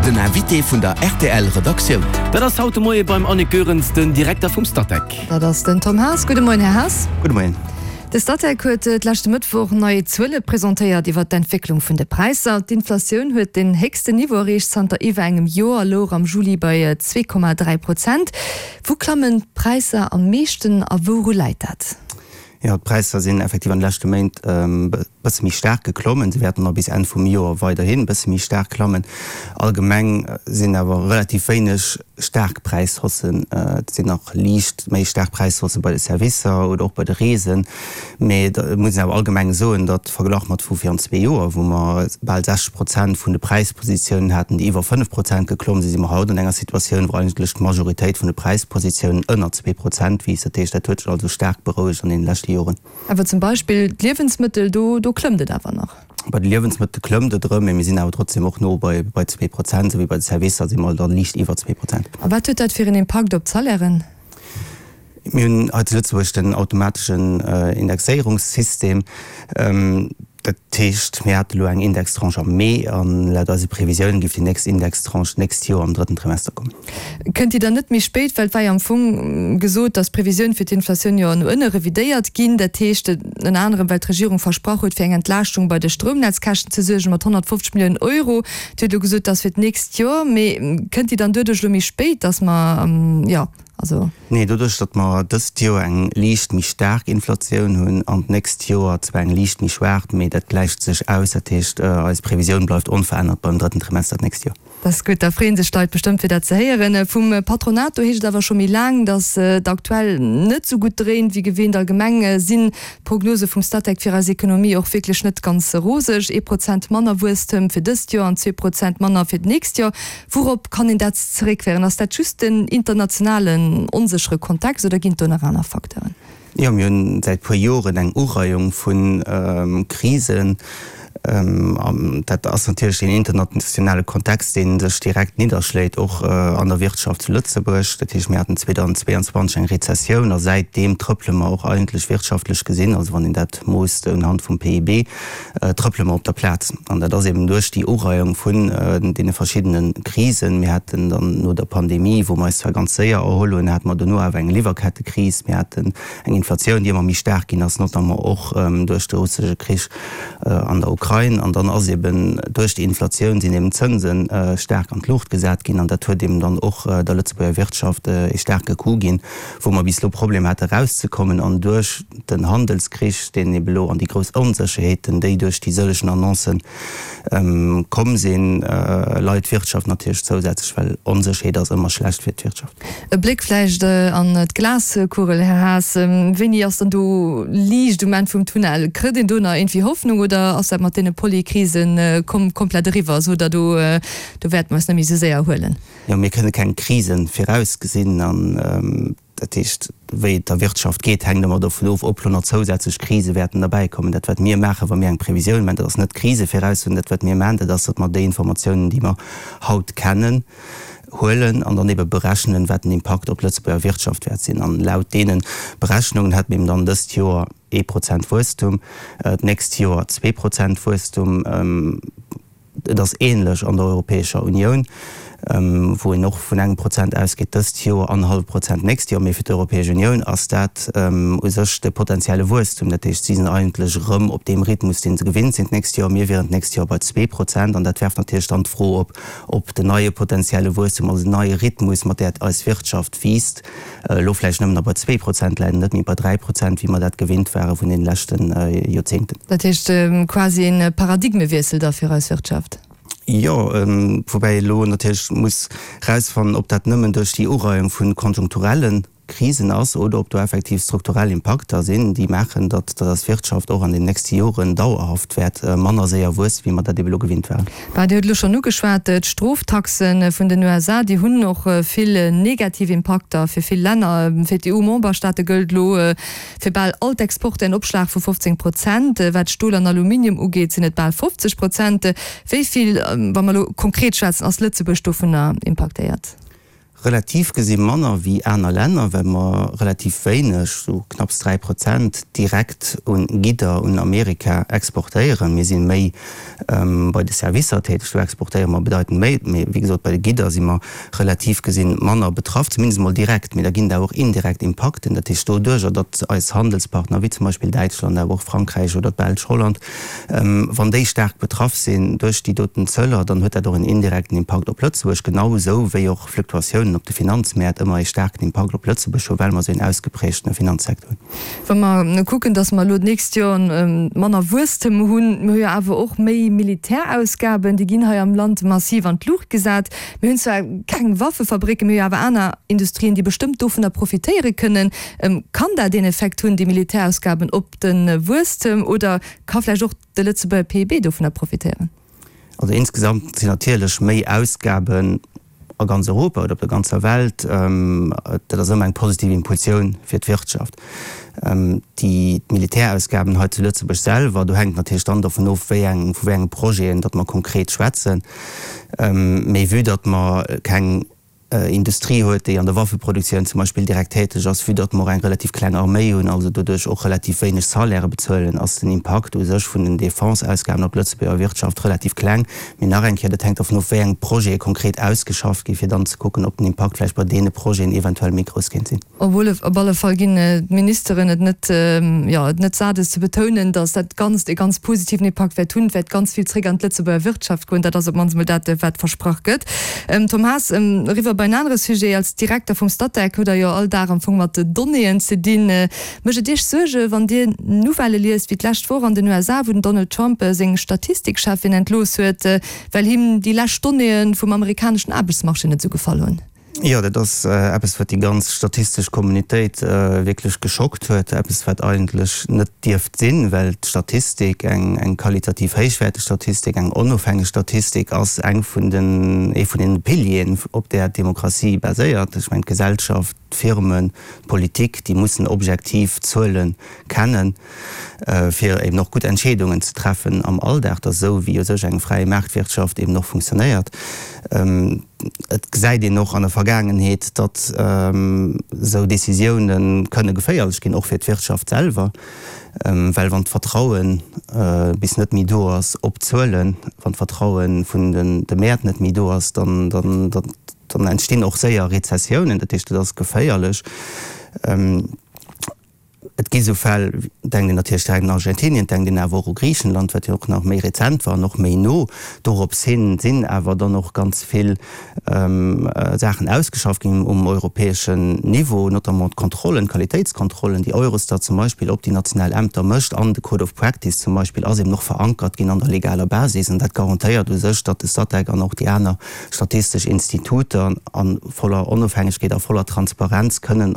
Den Invité vun der rtl Redaktioun. Dat ass haut de Moie beim Annick Goerens, den Direkter vum Statec. Dat ass den Tom Haas. Gudde Moien, Här Haas. Gudde Moien. De Statec huet d'leschte Mëttwoch nei Zuele presentéiert iwwer d'Entwécklung vun de Präisser. D'Inflatioun huet den héchsten Niveau erreecht zanter iwwer engem Joer, louch am Juli bei 2,3 Prozent. Wou klammen d'Präisser am meeschten a wouru läit dat? Jo, d'Präisser sinn effektiv an de leschte Méint e bësse méi staark geklommen. Se wäerten och bis Enn vum Joer weiderhin e bësse méi staark klammen. Allgemeng sinn awer relativ wéineg staark Präishaussen. Et sinn nach liicht méi staark Präishausse bei de Servicer oder och bei de Reesen. Mee et muss een awer allgemeng soen, datt verglach mat vu virun zwee Joer, wou mer bal 60 Prozent vun de Präispositiounen haten, déi iwwer 5 Prozent geklomm sinn, si mer haut an enger Situatioun, wou eigentlech d'Majoritéit vun de Präispositiounen ënner 2 Prozent wiisst. Dat heescht, dat huet sech also staark berouegt an deene leschte Joren. Awer zum Beispill d'Liewensmëttel, do do klëmmt et awer nach. Bei de Liewensmëttel klëmmt et erëm, mee mir sinn awer trotzdem och no bei bei 2 Prozent, esou wéi bei de Servicer si mer da liicht iwwer 2 Prozent. A wat huet dat fir en Impakt op d'Salairen? Mir hunn hei zu Lëtzebuerg den automateschen Indexéierungssystem. Dat heescht, mir hate elo eng Indextranche am Mee an laut eise Previsiounen géif déi nächst Indextranche d'nächst Joer am drëtten Trimester kommen. Kënnt déi dann net méi spéit? Well et war jo am Fong gesot, datt d'Previsioun fir d'Inflatioun jo no ënne revidéiert ginn. Dat heescht ënner anerem, well d'Regierung versprach huet, fir eng Entlaaschtung bei de Stroumnetzkäschten ze suergen mat 150 Milliounen Euro. Dir hutt elo gesot, dat ass fir d'nächst Joer. Mee kënnt déi dann doduerch elo méi spéit, datt mer, jo. Also. Nee, doduerch, datt mer dëst Joer eng liicht méi staark Inflatioun hunn an d'nächst Joer zwar eng liicht méi schwaach, mee dat gläicht sech aus. Dat heescht, eis Previsioun bleift onverännert beim drëtten Trimester d'nächst Joer. Dat ass gutt, da freeë sech d'Leit bestëmmt fir dat ze héieren. Vum Patronat, do heescht et awer scho méi laang, datt et aktuell net esou gutt dréint wéi gewinnt. Allgemeng sinn d'Prognose vum Statec fir eis Ekonomie och wierklech net ganz roseg, ee Prozent manner Wuesstem fir dëst Joer an 2 Prozent manner fir d'nächst Joer. Wourop kann een dat zeréckféieren? Ass dat just den internationalen onséchere Kontext oder ginn et do nach aner Facteuren? Jo, mir hunn säit puer Joren eng Ureiung vu Krisen. An dat ass natierlech deen internationale Kontext, dee sech direkt nidderschléit, och an der Wirtschaft zu Lëtzebuerg. Dat heescht, mir haten 2022 eng Rezessioun a säitdeem trëppele mer och eigentlech wirtschaftlech gesinn, also wann een dat moosst unhand vum PIB, trëppele mer op der Plaz. An dat ass eben duerch déi Ureiung vun deene verschiddene Krisen. Mir haten dann no der Pandemie, wou mer eis zwar ganz séier erholl hunn, hate mer dono awer eng Liwwerkettekris. Mir haten eng Inflatioun, déi ëmmer méi staark ginn ass, notamment och duerch de russesche Krich an der Ukrain. An dann ass eben duerch déi Inflatioun sinn eben d'Zënse staark an d'Luucht gesat ginn. An dat huet eben dann och der Lëtzebuerger Wirtschaft ee staarke Coup ginn, wou mer bis elo Problem hate erauszekommen. An duerch den Handelskrich, deen ebe lo an déi grouss Onsécherheeten, déi duerch déi sëllegen Annoncen komm sinn, leit d'Wirtschaft natierlech zousätzlech, well Onsécherheet ass ëmmer schlecht fir d'Wirtschaft. E Bléck vläicht an d'Glaskugel, Här Haas, Wéini ass dann do Liicht um Enn vum Tunnel? Kritt een do nach iergendwéi Hoffnung oder ass dat mat deene Polykrisen komplett eriwwer, sot Der, do wäerte mer eis net méi esou séier erhuelen? Jo, mir kënne keng Krisen virausgesinn an dat heescht, wéi et der Wirtschaft geet, hänkt ëmmer dovun of, ob lo nach zousätzlech Krise wäerten derbäikommen. Dat wat mir maachen, wa mir eng Previsioun maachen, dat ass net d'Krise viraussoen. Dat wat mir maachen, dat ass, datt mer déi Informatiounen, déi mer haut kennen, huelen an dann ebe berechnen, wat den Impakt op d'Lëtzebuerger Wirtschaft wäert sinn. An laut deene Berechnungen hätte mir eben dann dëst Joer ee Prozent Wuesstum, d'nächst Joer 2 Prozent Wuesstum. Et ass ähnlech an der Europäescher Unioun, wou een och vun engem Prozent ausgeet dëst Joer an hallwe Prozent d'nächst Joer. Mee fir d'Europäesch Unioun ass dat u sech de potenzielle Wuesstum. Dat heescht, si sinn eigentlech erëm op deem Rhythmus, dee se gewinnt sinn d'nächst Joer. Mir wieren d'nächst Joer bei 2 Prozent. An dat werft natierlech dann d'Fro op, ob den neie potenzielle Wuesstum, also den neie Rhythmus, mat där eis Wirtschaft wiisst, elo vläicht nëmmen nach bei 2 Prozent läit an net méi bei 3 Prozent, wéi mer dat gewinnt ware vun deene leschte Joerzéngten. Dat heescht quasi e Paradigmewiessel da fir eis Wirtschaft? Jo, woubäi ee elo natierlech muss erausfannen, ob dat nëmmen duerch déi Ureiung vu konjunkturelle Krisen ass oder ob do effektiv strukturell Impakter sinn, déi maachen, datt eis Wirtschaft och an den nächste Joren dauerhaft wäert manner séier wuesse wéi mer dat ebe elo gewinnt waren. Bah, Dir hutt elo schonn ugeschwat, d'Stroftaxe vun den USA, déi hunn och vill negativ Impakter fir vill Länner. Fir d'EU-Memberstaate gëllt elo fir bal all d'Exporter en Opschlag vu 15 Prozent. Wat Stol an Aluminium ugeet, sinn et bal 50 Prozent. Wéi vill, wa mer elo konkret schwätzen, ass Lëtzebuerg dovunner impaktéiert? Relativ gesi manner wéi aner Länner, well mer relativ wéineg, sou knapps 3%, direkt un Gidder un Amerika exportéieren. Mir si méi bei de Servicer täteg, do exportéiere mer bedeitend méi. Mee wéi gesot, bei de Gidder si mer relativ gesi manner betraff, zumindest emol direkt. Mee da ginn et awer och indirekt Impakten, dat heescht doduerjer, datt eis Handelspartner, wéi zum Beispill Däitschland, awer och Frankräich oder d'Belsch, Holland, Wann déi staark betraff sinn duerch déi doten Zöller, dann huet dat och en indirekten Impakt op Lëtzebuerg, genau esou wéi och Fluktuatiounen op de Finanzmäert ëmmer ee staarken Impakt op Lëtzebuerg hunn, well mer esou een ausgeprägtene Finanzsecteur hunn. Wa mer kucken, datt mer elo d'nächst Joer manner Wuesstem hunn, mir hu jo awer och méi Militärausgaben, déi ginn hei am Land massiv an d'Luucht gesat. Mir hunn zwar keng Waffefabricken, mir hu jo awer aner Industrien, déi bestëmmt dovunner profitéiere kënnen. Kann dat een Effekt hunn, déi Militärausgaben, op de Wuesstem oder ka vläicht och de Lëtzebuerger PIB dovunner profitéieren? Also insgesamt sinn natierlech méi Ausgaben a ganz Europa oder op der ganzer Welt, dat ass ëmmer eng positiv Impulsioun fir d'Wirtschaft. Déi Militärausgaben hei zu Lëtzebuerg selwer, do hänkt et natierlech dann dovun of, wéi eng, vu wéi enge Projeten datt mer konkret schwätzen. Mee vue datt mer keng Industrie huet, déi an der Waffeproduktioun zum Beispill direkt täteg ass, vue datt mer och eng relativ kleng Arméi hunn, also doduerch och relativ wéineg Salairë bezuelen, ass den Impakt u sech vun den Defense-Ausgaben op d'Lëtzebuerger Wirtschaft relativ kleng. Mee nach eng Kéier, dat hänkt dervun of, wéi eng Projete konkret ausgeschafft ginn, fir dann ze kucken, ob den Impakt vläicht bei deene Projeten eventuell méi grouss kéint sinn. Op alle Fall ginn d'Ministeren et net, jo, et net sat, es ze betounen, datt dat Ganzt e ganz positiven Impakt wäert hunn. Et wäert ganz vill zréck an d'Lëtzebuerger Wirtschaft goen. Dat ass op d'mannst emol dat, wat versprach gëtt. Tom Haas, eriwwer bei en anere Sujet. Als Direkter vum Statec hutt Der jo all Dag am Fong mat Donnéeën ze dinn. Mécht et Iech Suerge wann Dir Nouvellë liest, wéi d'lescht Woch an den USA, wou den Donald Trump seng Statistikcheffin entlooss huet, well him déi lescht Donnéeë vum amerikaneschen Aarbechtsmarché net esou gefall hunn? Jo, dat ass eppes, wat déi ganz statistesch Communautéit wierklech geschockt huet. Eppes, wat eigentlech net dierft sinn, well d'Statistik, eng qualitativ héichwäerteg Statistik, eng onofhängeg Statistik ass eng vun den, ee vun den Pilieren, op där d'Demokratie baséiert. Ech mengen, d'Gesellschaft, d'Firmen, d'Politik, déi mussen objektiv Zuele kennen, fir eben och gutt Entscheedungen ze treffen am Alldag. Dat ass esou, wéi u sech eng fräi Maartwirtschaft eben och funktionéiert. Et gesäit een och an der Vergaangenheet, datt esou Décisioune kënne geféierlech ginn, och fir d'Wirtschaft selwer, well wann d'Vertraue bis net méi do ass op d'Zuelen, wann d'Vertraue vun de Mäert net méi do ass, dann entstinn och séier Rezessiounen. Dat heescht, et ass geféierlech. Et gi sou Fäll, denkt een natierlech direkt un Argentinien, denkt een awer och u Griichenland, wat jo och nach méi rezent war an och méi no. Dorops hin sinn awer dann och ganz vill Saachen ausgeschafft ginn um europäeschen Niveau, notamment d'Kontrollen, d'Qualitéitskontrollen, déi Eurostat zum Beispill op déi national Ämter mécht, an de Code of Practice zum Beispill ass eben och verankert ginn an der legaler Basis. An dat garantéiert u sech, datt de Statec an och déi aner statistesch Instituter a voller Onofhängegkeet a voller Transparenz kënnen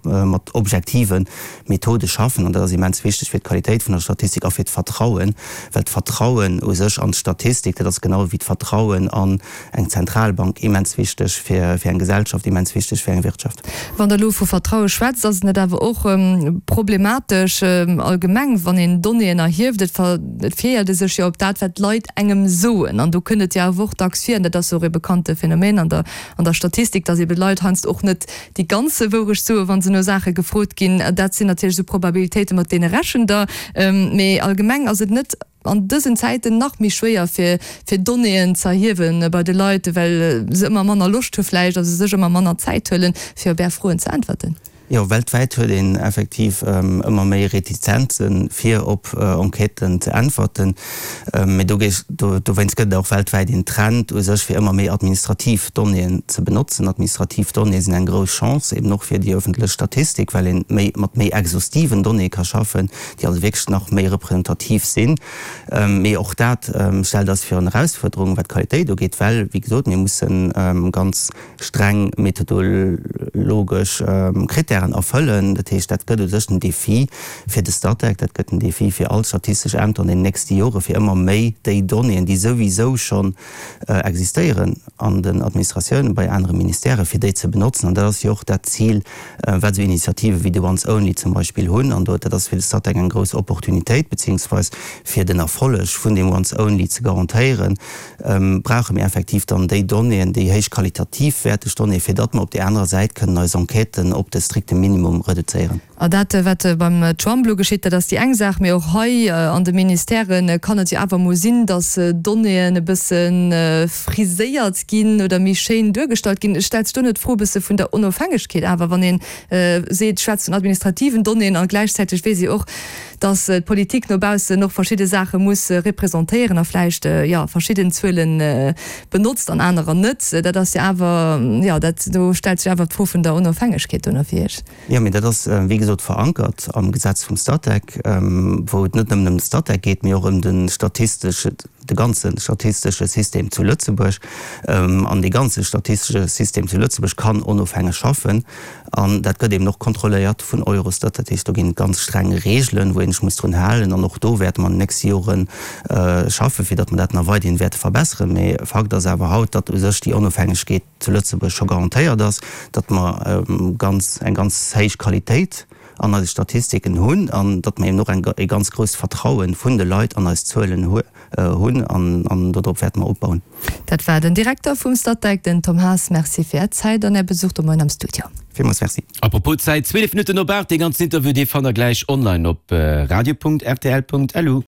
mat objektive Methode schaffen. An dat ass immens wichteg fir d'Qualitéit vun der Statistik a fir d'Vertrauen, well d'Vertrauen u sech an d'Statistik, dat ass genau wéi d'Vertrauen an eng Zentralbank immens wichteg fir eng Gesellschaft, immens wichteg fir eng Wirtschaft. Wann Der elo vu Vertraue schwätzt, ass et net awer och problematesch allgemeng, wann een Donnéeën erhieft, et fiéiert e sech jo op dat, wat d'Leit engem soen. An do kënnt et jo awer och dacks vir, an dat ass jo och ee bekannte Phänomen an der, an der Statistik, datt eebe Leit heiansdo och net déi ganz Wourecht soen, wa se no Saache gefrot ginn. Dat sinn natierlech esou Probabilitéiten, mat deene rechent Der. Mee allgemeng ass et net an dësen Zäiten nach méi schwéier fir fir Donnéeën ze erhiewe bei de Leit, well se ëmmer manner Loscht hu vläicht a se sech ëmmer manner Zäit huelen, fir op Är Froen ze äntwerten. Jo, weltwäit huet een effektiv ëmmer méi Retizenzen, fir op Enquêten ze äntwerten. Mee dowéinst gëtt et och weltwäit een Trend u sech, fir ëmmer méi administrativ Donnéeën ze benotzen. Administrativ Donnéeë sinn eng grouss Chance, eben och fir déi ëffentlech Statistik, well een méi mat méi exhaustiven Donnéeë ka schaffen, déi also wierklech nach méi representativ sinn. Mee och dat stellt eis virun Erausfuerderungen, wat d'Qualitéit ugeet, well, wéi gesot, mir musse ganz streng methodologesch Krittären. Krittären erfëllen. Dat heescht, dat gëtt u sech den Defi fir de Statec, dat gëtt den Defi fir all statistesch Ämter an den nächste Jore fir ëmmer méi déi Donnéeën, déi souwisou schonn existéieren an den Administratiounen, bei anere Ministèrë fir déi ze benotzen. An dat ass jo och dat Zil, wat esou Initiative wéi de Once Only zum Beispill hunn. An do, dat ass fir de Statec eng grouss Opportunitéit, beziehungsweis fir den Erfolleg vun deem Once Only ze garantéieren, brauche mir effektiv dann déi Donnéeën, déi héich qualitativ wäerteg Donnéeën, fir datt mer op där anerer Säit kënnen eis Enquêten op de strikte Minimum reduzéieren. A dat, wat beim Trump elo geschitt, dat ass déi eng Saach, mee och hei an de Ministèrë kann et jo awer emol sinn, datt Donnéeën e bësse friséiert ginn oder méi schéin duergestallt ginn. Stellt sech do net d'Fro e bësse vun der Onofhängegkeet awer, wann ee seet, schwätzt vun administrativen Donnéeën a gläichzäiteg weess ee och, datt d'Politik no baussen och verschidde Saache muss representéieren a vläicht, jo, verschidden Zuele benotzt an anerer net. Dat ass jo awer, jo, dat, do stellt sech awer d'Fro vun der Onofhängegkeet do no fir Iech. Jo, mee dat ass, wéi gesot, verankert am Gesetz vum Statec, wou et net nëmmen ëm de Statec geet, mee och ëm de statistesche, de ganze statistesche System zu Lëtzebuerg. An dee ganze statistesche System zu Lëtzebuerg kann onofhängeg schaffen. An dat gëtt eben och kontrolléiert vun Eurostat. Dat heescht, do ginn et ganz streng Regeln, wou een sech muss drun halen. An och do wäerte mer an den nächste Jore schaffen, fir datt mer dat nach weiderhin wäerte verbesseren. Mee Fakt ass awer haut, datt u sech déi Onofhängegkeet, zu Lëtzebuerg scho garantéiert ass, datt mer ganz, eng ganz héich Qualitéit an eise Statistiken hunn an datt mer eben och eng, e ganz grousst Vertraue vun de Leit an eis Zuelen hunn an, an dodrop wäerte mer opbauen. Dat war den Direkter vum Statec, den Tom Haas. Merci fir Är Zäit an Är Besuch de Moien am Studio. Villmools Merci. Apropos Zäit, 12 Minutten op 8, dee ganzen Interview, dee fannt der gläich online op radio.rtl.lu.